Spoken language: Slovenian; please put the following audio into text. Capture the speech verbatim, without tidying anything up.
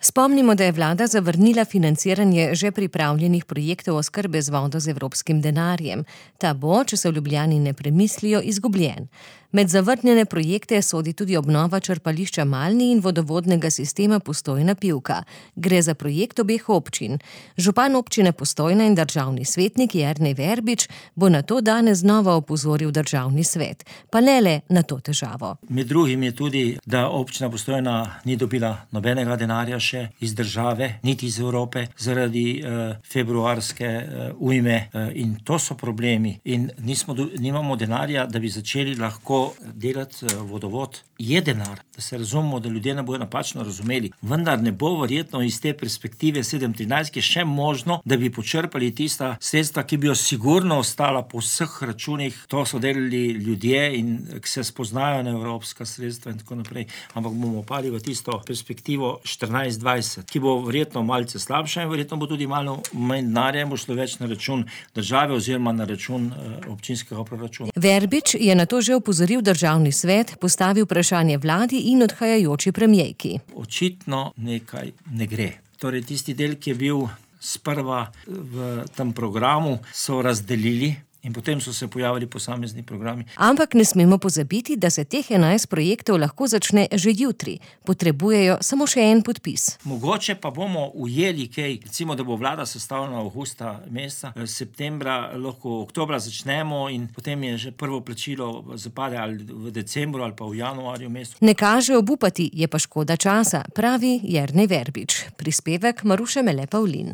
Spomnimo, da je vlada zavrnila financiranje že pripravljenih projektov oskrbe z vodo z evropskim denarjem. Ta bo, če se v Ljubljani ne premislijo, izgubljen. Med zavrnjene projekte sodi tudi obnova črpališča Malni in vodovodnega sistema Postojna-Pivka. Gre za projekt obeh občin. Župan občine Postojna in državni svetnik Jernej Verbič bo na to danes znova opozoril državni svet. Pa ne le na to težavo. Med drugim je tudi, da občina Postojna ni dobila nobenega denarja še iz države, niti iz Evrope, zaradi uh, februarske uh, ujme uh, in to so problemi. In nismo, nimamo denarja, da bi začeli lahko delati uh, vodovod. Je denar, da se razumemo, da ljudje ne bojo napačno razumeli, vendar ne bo verjetno iz te perspektive sedem trinajst, ki je še možno, da bi počrpali tista sredstva, ki bi jo sigurno ostala po vseh računih. To so delali ljudje in ki se spoznajo na evropska sredstva in tako naprej. Ampak bomo pali v tisto perspektivo štirinajst dvajset, ki bo verjetno malce slabša in verjetno bo tudi malo manj denarja in bo šlo več na račun države oziroma na račun uh, občinskega proračuna. Verbič je na to že opozoril državni svet, postavil vprašanje vladi in odhajajoči premierki. Očitno nekaj ne gre. Torej, tisti del, ki je bil sprva v tem programu, so razdelili in potem so se pojavili posamezni programi. Ampak ne smemo pozabiti, da se teh enajst projektov lahko začne že jutri. Potrebujejo samo še en podpis. Mogoče pa bomo ujeli kaj, recimo, da bo vlada sestavljena avgusta meseca, septembra, lahko oktobra začnemo in potem je že prvo plačilo zapade ali v decembru ali pa v januarju mesecu. Ne kaže obupati, je pa škoda časa, pravi Jernej Verbič. Prispevek Maruše Mele Pavlin.